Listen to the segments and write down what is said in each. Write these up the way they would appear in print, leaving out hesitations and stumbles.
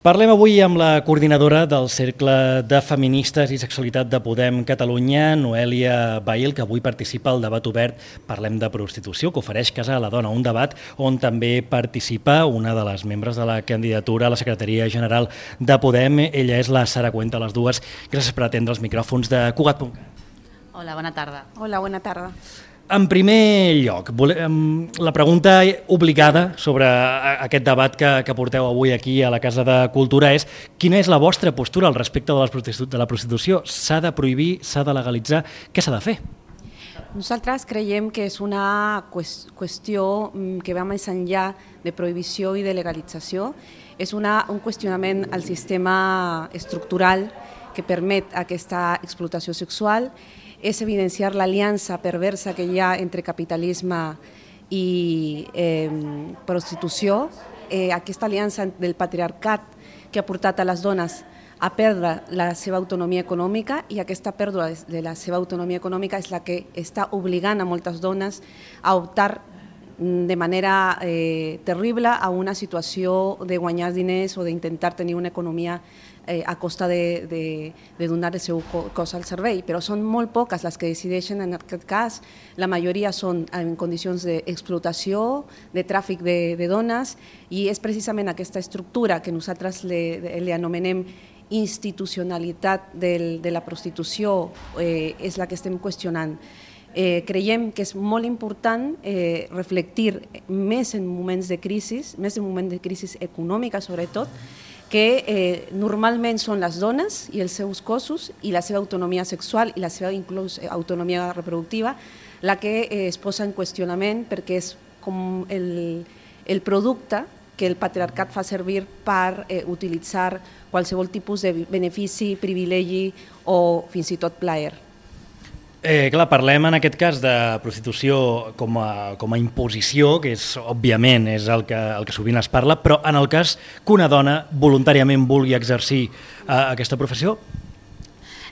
Parlem avui amb la coordinadora del Cercle de Feministes i Sexualitat de Podem Catalunya, Noèlia Bahil, que avui participa al debat obert Parlem de prostitució, que ofereix Casa a la Dona, un debat on també participa una de les membres de la candidatura a la secretaria general de Podem. Ella és la Sara Cuenta, les dues. Gràcies per atendre els micròfons de Cugat.cat. Hola, bona tarda. Hola, bona tarda. En primer lloc, la pregunta obligada sobre aquest debat que porteu avui aquí a la Casa de Cultura és: quina és la vostra postura al respecte de la prostitució? S'ha de prohibir, s'ha de legalitzar? Què s'ha de fer? Nosaltres creiem que és una qüestió que va més enllà de prohibició i de legalització. És un qüestionament al sistema estructural que permet aquesta explotació sexual. És evidenciar l'aliança perversa que hi ha entre capitalisme i prostitució, aquesta aliança del patriarcat que ha portat a les dones a perdre la seva autonomia econòmica, i aquesta pèrdua de la seva autonomia econòmica és la que està obligant a moltes dones a optar de manera terrible a una situació de guanyar diners o d'intentar tenir una economia a costa de donar el seu cos al servei, però són molt poques les que decideixen en aquest cas. La majoria són en condicions d'explotació, de tràfic de dones, i és precisament aquesta estructura que nosaltres li anomenem institucionalitat de la prostitució és la que estem qüestionant. Creiem que és molt important reflectir més en moments de crisi, més en moments de crisi econòmica sobretot, que normalment són les dones i els seus cossos i la seva autonomia sexual i la seva inclús autonomia reproductiva la que es posa en qüestionament, perquè és com el producte que el patriarcat fa servir per utilitzar qualsevol tipus de benefici, privilegi o fins i tot plaer. Clar, parlem en aquest cas de prostitució com a imposició, que és, òbviament, és el que sovint es parla, però en el cas que una dona voluntàriament vulgui exercir aquesta professió?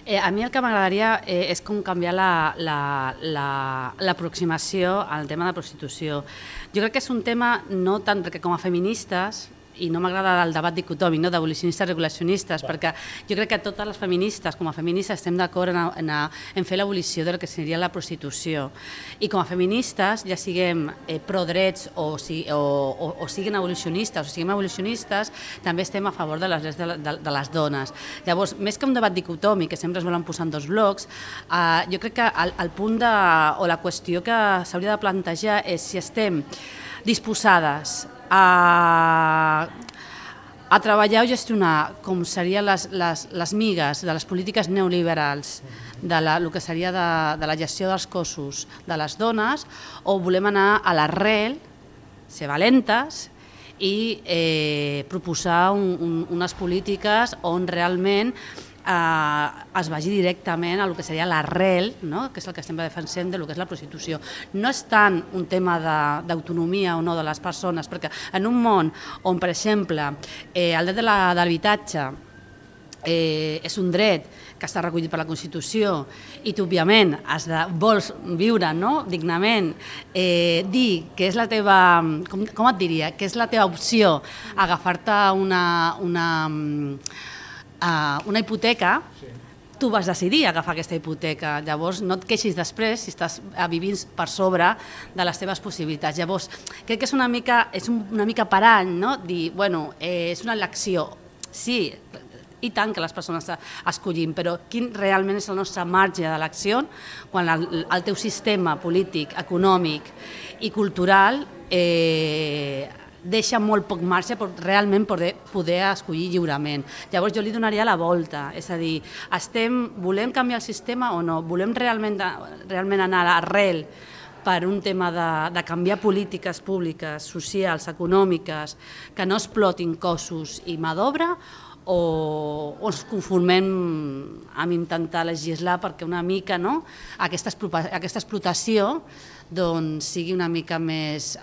A mi el que m'agradaria és com canviar l'aproximació al tema de prostitució. Jo crec que és un tema no tant perquè com a feministes, i no m'agrada el debat dicotòmic d'abolicionistes i regulacionistes, perquè jo crec que totes les feministes, com a feministes, estem d'acord en fer l'abolició del que seria la prostitució. I com a feministes, ja siguem pro-drets o siguin abolicionistes o siguem abolicionistes, també estem a favor de les drets de les dones. Llavors, més que un debat dicotòmic, que sempre es volen posar en dos blocs, jo crec que el punt o la qüestió que s'hauria de plantejar és si estem disposades a treballar o gestionar com serien les migues de les polítiques neoliberals del que seria de la gestió dels cossos de les dones, o volem anar a l'arrel, ser valentes i proposar unes polítiques on realment es vagi directament a el que seria l'arrel, que és el que estem defensant del que és la prostitució. No és tant un tema d'autonomia o no de les persones, perquè en un món on, per exemple, el dret de l'habitatge és un dret que està recollit per la Constitució i tu, òbviament, vols viure dignament, dir que és la teva, com et diria, que és la teva opció agafar-te una hipoteca, tu vas decidir agafar aquesta hipoteca. Llavors no et queixis després si estàs vivint per sobre de les teves possibilitats. Llavors crec que és una mica parany dir, bueno, és una elecció. Sí, i tant que les persones escollim, però quin realment és el nostre marge d'elecció quan el teu sistema polític, econòmic i cultural deixa molt poc marge per realment poder escollir lliurement. Llavors jo li donaria la volta, és a dir, volem canviar el sistema o no? Volem realment anar a l'arrel per un tema de canviar polítiques públiques, socials, econòmiques, que no explotin cossos i mà d'obra, o ens conformem amb intentar legislar perquè una mica aquesta explotació sigui una mica més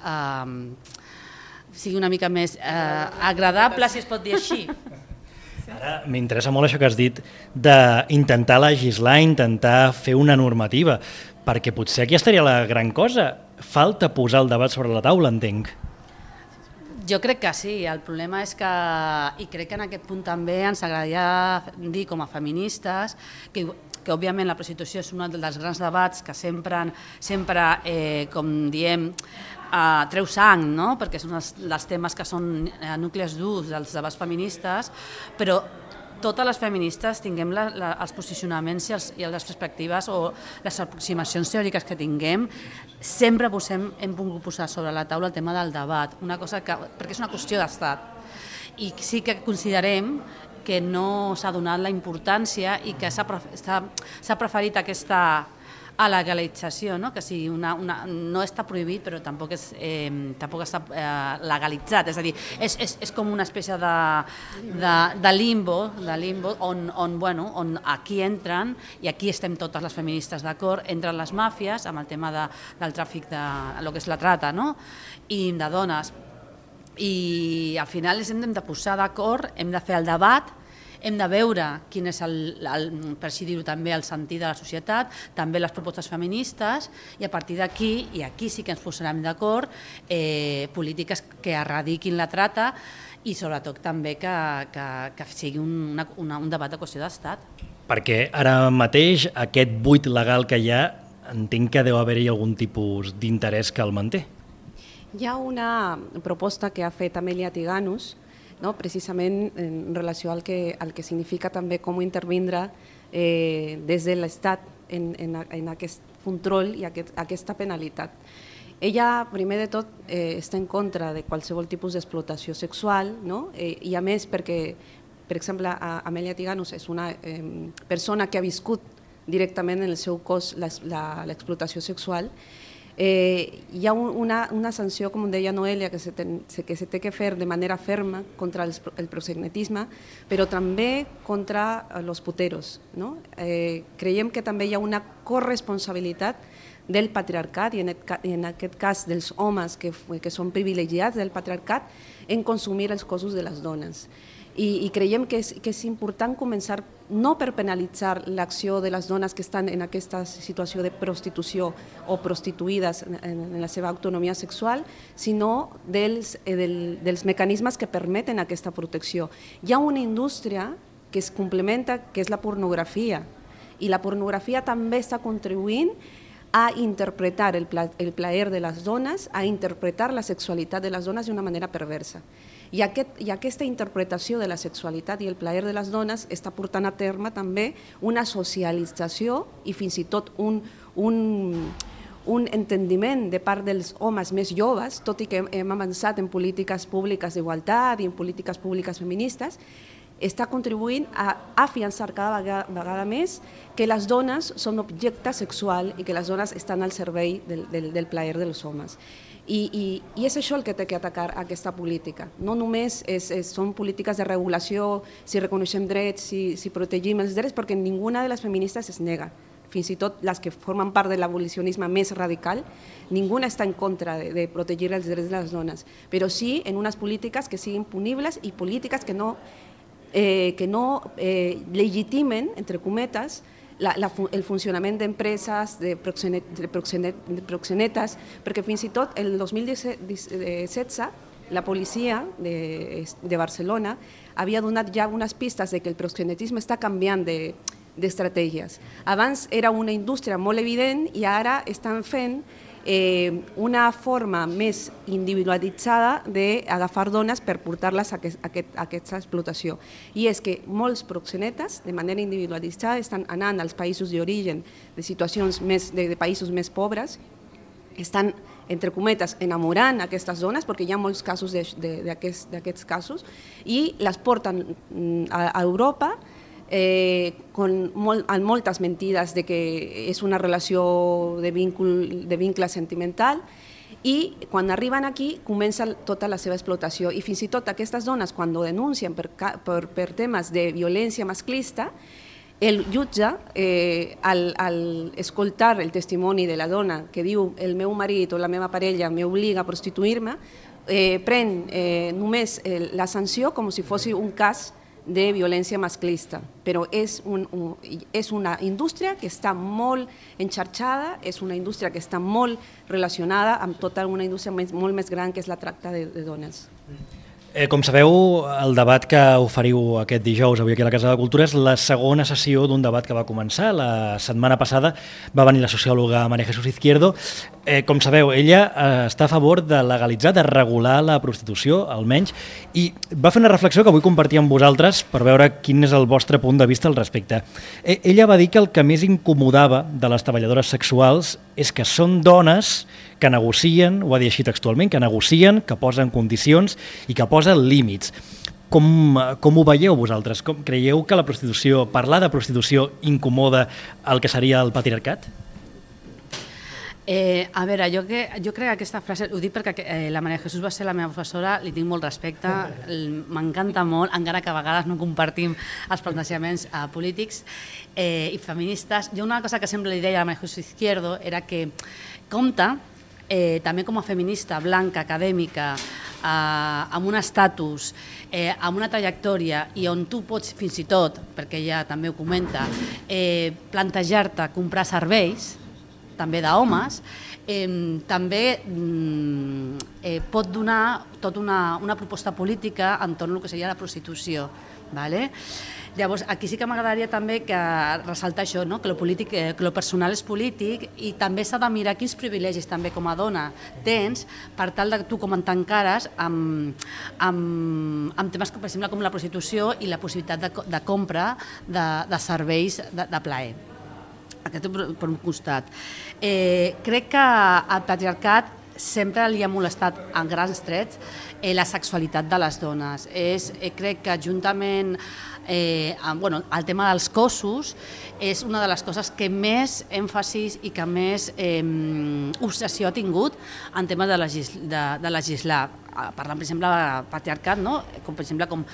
agradable, si es pot dir així. Ara m'interessa molt això que has dit d'intentar legislar, intentar fer una normativa, perquè potser aquí estaria la gran cosa. Falta posar el debat sobre la taula, entenc. Jo crec que sí, el problema és que, i crec que en aquest punt també ens agradaria dir com a feministes que òbviament la prostitució és un dels grans debats que sempre com diem, treu sang, no? Perquè són els temes que són nuclis durs dels debats feministes, però totes les feministes tinguem els posicionaments i les perspectives o les aproximacions teòriques que tinguem, sempre hem volgut posar sobre la taula el tema del debat, perquè és una qüestió d'estat. I sí que considerem que no s'ha donat la importància i que s'ha preferit aquesta legalització, que no està prohibit però tampoc està legalitzat, és a dir, és com una espècie de limbo on aquí entren, i aquí estem totes les feministes d'acord, entren les màfies amb el tema del tràfic del que és la trata i de dones, i al final ens hem de posar d'acord, hem de fer el debat, hem de veure quin és, per així dir-ho també, el sentit de la societat, també les propostes feministes, i a partir d'aquí, i aquí sí que ens posarem d'acord, polítiques que erradiquin la trata i sobretot també que sigui un debat de qüestió d'estat. Perquè ara mateix aquest buit legal que hi ha, entenc que deu haver-hi algun tipus d'interès que el manté. Hi ha una proposta que ha fet Amelia Tiganus, precisament en relació al que significa també com intervindre des de l'Estat en aquest control i aquesta penalitat. Ella, primer de tot, està en contra de qualsevol tipus d'explotació sexual, i a més perquè, per exemple, Amelia Tiganus és una persona que ha viscut directament en el seu cos l'explotació sexual. Hi ha una sanció, com deia Noelia, que se té que fer de manera ferma contra el proxenetisme, però també contra els puteros. Creiem que també hi ha una corresponsabilitat del patriarcat, i en aquest cas dels homes que són privilegiats del patriarcat, en consumir els cossos de les dones. I creiem que és important començar no per penalitzar l'acció de les dones que estan en aquesta situació de prostitució o prostituïdes en la seva autonomia sexual, sinó dels mecanismes que permeten aquesta protecció. Hi ha una indústria que es complementa, que és la pornografia, i la pornografia també està contribuint a interpretar el plaer de les dones, a interpretar la sexualitat de les dones d'una manera perversa. I aquesta interpretació de la sexualitat i el plaer de les dones està portant a terme també una socialització i fins i tot un entendiment de part dels homes més joves, tot i que hem avançat en polítiques públiques d'igualtat i en polítiques públiques feministes, està contribuint a afiançar cada vegada més que les dones són objecte sexual i que les dones estan al servei del plaer dels homes. I és això el que té que atacar aquesta política. No només són polítiques de regulació, si reconeixem drets, si protegim els drets, perquè ninguna de les feministes es nega. Fins i tot les que formen part de l'abolicionisme més radical, ninguna està en contra de protegir els drets de les dones, però sí en unes polítiques que siguin punibles i polítiques que no legitimen, entre cometes, el funcionament d'empreses, de proxenetes, perquè fins i tot el 2016 la policia de Barcelona havia donat ja unes pistes de que el proxenetisme està canviant d'estratègies. Abans era una indústria molt evident i ara estan fent una forma més individualitzada d'agafar dones per portar-les a aquesta explotació. I és que molts proxenetes, de manera individualitzada, estan anant als països d'origen de situacions de països més pobres, estan, entre cometes, enamorant aquestes dones, perquè hi ha molts casos d'aquests casos, i les porten a Europa amb moltes mentides de que és una relació de vincle sentimental, i quan arriben aquí comença tota la seva explotació. I fins i tot aquestes dones, quan ho denuncien per temes de violència masclista, el jutge, al escoltar el testimoni de la dona que diu el meu marit o la meva parella m'obliga a prostituir-me, pren només la sanció com si fos un cas de violència masclista, però és una indústria que està molt enxarxada, és una indústria que està molt relacionada amb tota una indústria molt més gran que és la tracta de dones. Com sabeu, el debat que oferiu aquest dijous avui aquí a la Casa de la Cultura és la segona sessió d'un debat que va començar. La setmana passada va venir la sociòloga María Jesús Izquierdo. Com sabeu, ella està a favor de legalitzar, de regular la prostitució, almenys, i va fer una reflexió que vull compartir amb vosaltres per veure quin és el vostre punt de vista al respecte. Ella va dir que el que més incomodava de les treballadores sexuals és que són dones que negocien, ho va dir així textualment, que negocien, que posen condicions i que posen límits. Com ho veieu vosaltres? Creieu que la prostitució, parlar de prostitució incomoda el que seria el patriarcat? A veure, jo crec que aquesta frase, ho dic perquè la María Jesús va ser la meva professora, li tinc molt respecte, m'encanta molt, encara que a vegades no compartim els plantejaments polítics i feministes. Jo una cosa que sempre li deia a la María Jesús Izquierdo era que compta, també com a feminista, blanca, acadèmica, amb un estatus, amb una trajectòria i on tu pots fins i tot, perquè ella també ho comenta, plantejar-te comprar serveis, també d'homes, també pot donar tota una proposta política entorn al que seria la prostitució. Llavors, aquí sí que m'agradaria també ressaltar això, que lo personal és polític i també s'ha de mirar quins privilegis també com a dona tens per tal de tu com t'encares amb temes, per exemple, com la prostitució i la possibilitat de compra de serveis de plaer. Aquest per un costat. Crec que al patriarcat sempre li ha molestat en grans trets la sexualitat de les dones. Crec que juntament el tema dels cossos és una de les coses que més èmfasis i que més obsessió ha tingut en temes de legislar. Parlant, per exemple, de patriarcat, com per exemple com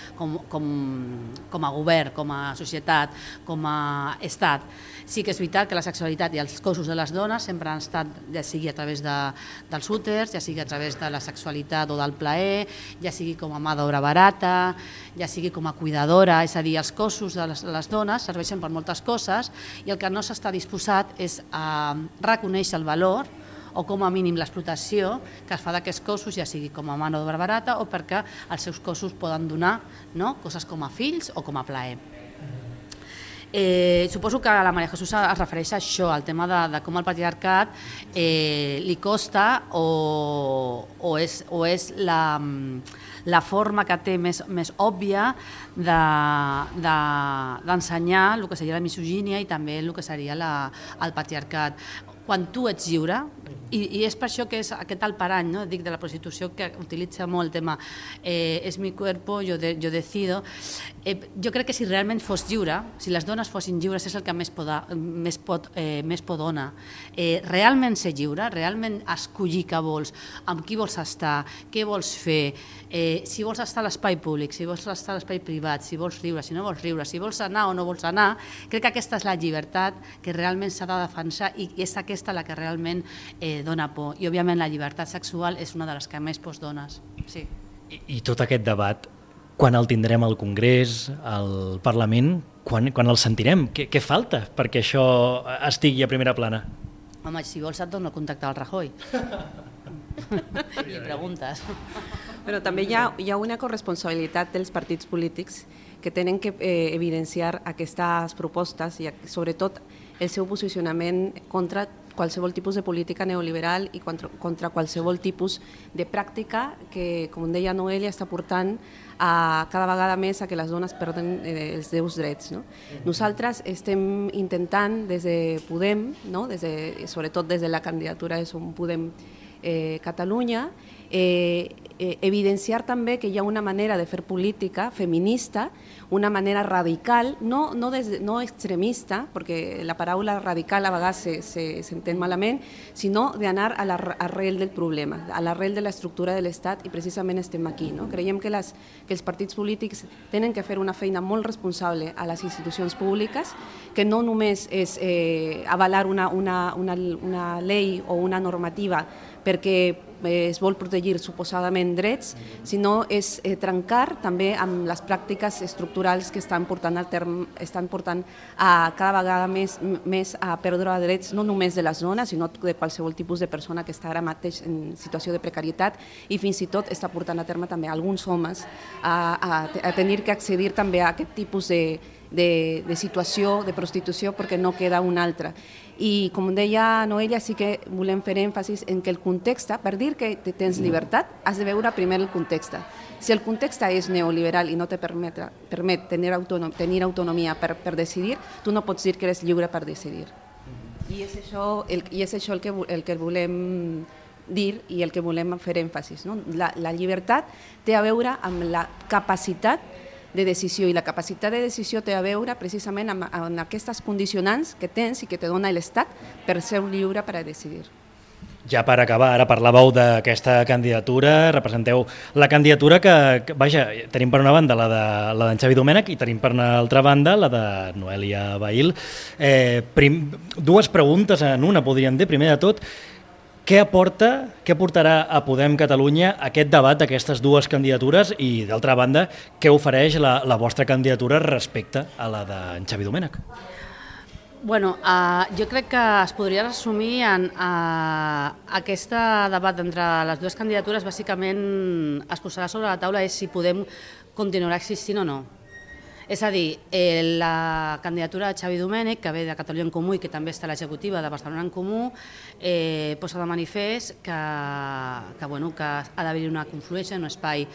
a govern, com a societat, com a estat. Sí que és veritat que la sexualitat i els cossos de les dones sempre han estat, ja sigui a través dels úters, ja sigui a través de la sexualitat o del plaer, ja sigui com a mà d'obra barata, ja sigui com a cuidadora, és a dir, els cossos de les dones serveixen per moltes coses i el que no s'està disposat és a reconèixer el valor o com a mínim l'explotació que es fa d'aquests cossos, ja sigui com a mà d'obra barata o perquè els seus cossos poden donar coses com a fills o com a plaer. Suposo que la María Jesús es refereix a això, al tema de com el patriarcat li costa o és la forma que té més òbvia d'ensenyar el que seria la misogínia i també el que seria el patriarcat. Quan tu ets lliure, i és per això que és aquest el parany, dic, de la prostitució, que utilitza molt el tema és mi cuerpo, yo decido. Jo crec que si realment fos lliure, si les dones fossin lliures, és el que més por dona. Realment ser lliure, realment escollir què vols, amb qui vols estar, què vols fer, si vols estar a l'espai públic, si vols estar a l'espai privat, si vols riure, si no vols riure, si vols anar o no vols anar, crec que aquesta és la llibertat que realment s'ha de defensar i és aquesta la que realment dona por. I, òbviament, la llibertat sexual és una de les que més pors dones. Sí. I tot aquest debat, quan el tindrem al Congrés, al Parlament, quan el sentirem? Què falta perquè això estigui a primera plana? Home, si vols et dono el contacte del Rajoy. I preguntes. Però també hi ha una corresponsabilitat dels partits polítics que tenen que evidenciar aquestes propostes i sobretot el seu posicionament contra qualsevol tipus de política neoliberal i contra qualsevol tipus de pràctica que, com deia Noelia, està portant cada vegada més a que les dones perden els seus drets. Nosaltres estem intentant des de Podem, sobretot des de la candidatura de Som Podem Catalunya, evidenciar també que hi ha una manera de fer política feminista, una manera radical, no extremista, perquè la paraula radical a vegades s'entén malament, sinó d'anar a l'arrel del problema, a l'arrel de l'estructura de l'Estat, i precisament estem aquí. Creiem que els partits polítics tenen que fer una feina molt responsable a les institucions públiques, que no només és avalar una llei o una normativa perquè es vol protegir suposadament únicament drets, sinó és trencar també amb les pràctiques estructurals que estan portant a cada vegada més a perdre drets, no només de les dones, sinó de qualsevol tipus de persona que està ara mateix en situació de precarietat, i fins i tot està portant a terme també alguns homes a tenir que accedir també a aquest tipus de situació de prostitució perquè no queda una altra. I com deia Noelia, sí que volem fer èmfasis en que el context, per dir que tens llibertat, has de veure primer el context. Si el context és neoliberal i no te permet tenir autonomia per decidir, tu no pots dir que eres lliure per decidir. I és això el que volem dir i el que volem fer èmfasis. La llibertat té a veure amb la capacitat de decisió, i la capacitat de decisió té a veure precisament amb aquestes condicionants que tens i que te dona l'Estat per ser lliure per a decidir. Ja per acabar, ara parlàveu d'aquesta candidatura, representeu la candidatura que, vaja, tenim per una banda la d'en Xavi Domènech i tenim per una altra banda la de Noelia Bahil. Dues preguntes en una, podríem dir. Primer de tot, què aportarà a Podem Catalunya aquest debat d'aquestes dues candidatures i, d'altra banda, què ofereix la vostra candidatura respecte a la d'en Xavi Domènech? Bueno, jo crec que es podria resumir en aquest debat entre les dues candidatures. Bàsicament es posarà sobre la taula és si Podem continuarà existint o no. És a dir, la candidatura de Xavi Domènech, que ve de Catalunya en Comú i que també està a l'executiva de Barcelona en Comú, posa de manifest que ha d'haver-hi una confluència, un espai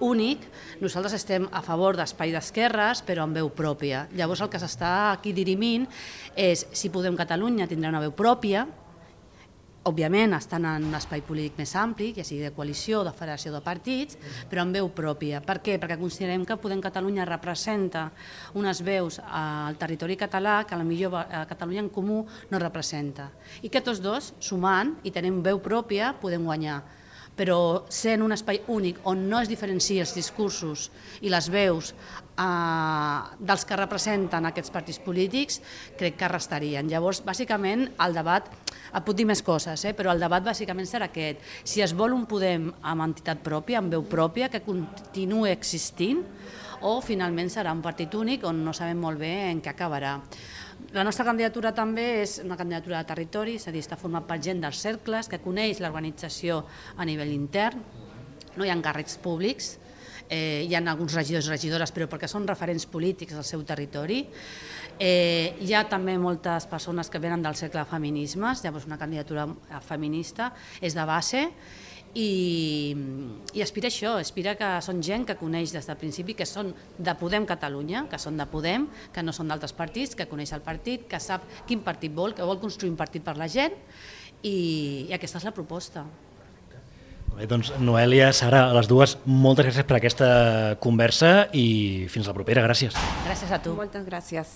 únic. Nosaltres estem a favor d'espai d'esquerres, però amb veu pròpia. Llavors el que s'està aquí dirimint és si Podem Catalunya tindrà una veu pròpia, òbviament estan en un espai polític més ampli, ja sigui de coalició o de federació de partits, però amb veu pròpia. Per què? Perquè considerem que Podem Catalunya representa unes veus al territori català que potser a Catalunya en Comú no representa. I que tots dos, sumant i tenint veu pròpia, podem guanyar. Però sent un espai únic on no es diferencien els discursos i les veus dels que representen aquests partits polítics, crec que restarien. Llavors, bàsicament, el debat, et puc dir més coses, però el debat bàsicament serà aquest. Si es vol un Podem amb entitat pròpia, amb veu pròpia, que continuï existint, o finalment serà un partit únic on no sabem molt bé en què acabarà. La nostra candidatura també és una candidatura de territori, és a dir, està format per gent dels cercles, que coneix l'organització a nivell intern, no hi ha càrrecs públics, hi ha alguns regidors i regidores, però perquè són referents polítics del seu territori. Hi ha també moltes persones que venen del cercle de feminismes, llavors una candidatura feminista és de base, i aspira això, aspira que són gent que coneix des del principi, que són de Podem Catalunya, que són de Podem, que no són d'altres partits, que coneix el partit, que sap quin partit vol, que vol construir un partit per la gent, i aquesta és la proposta. Bé, doncs, Noelia, Sara, a les dues, moltes gràcies per aquesta conversa i fins la propera. Gràcies. Gràcies a tu. Moltes gràcies.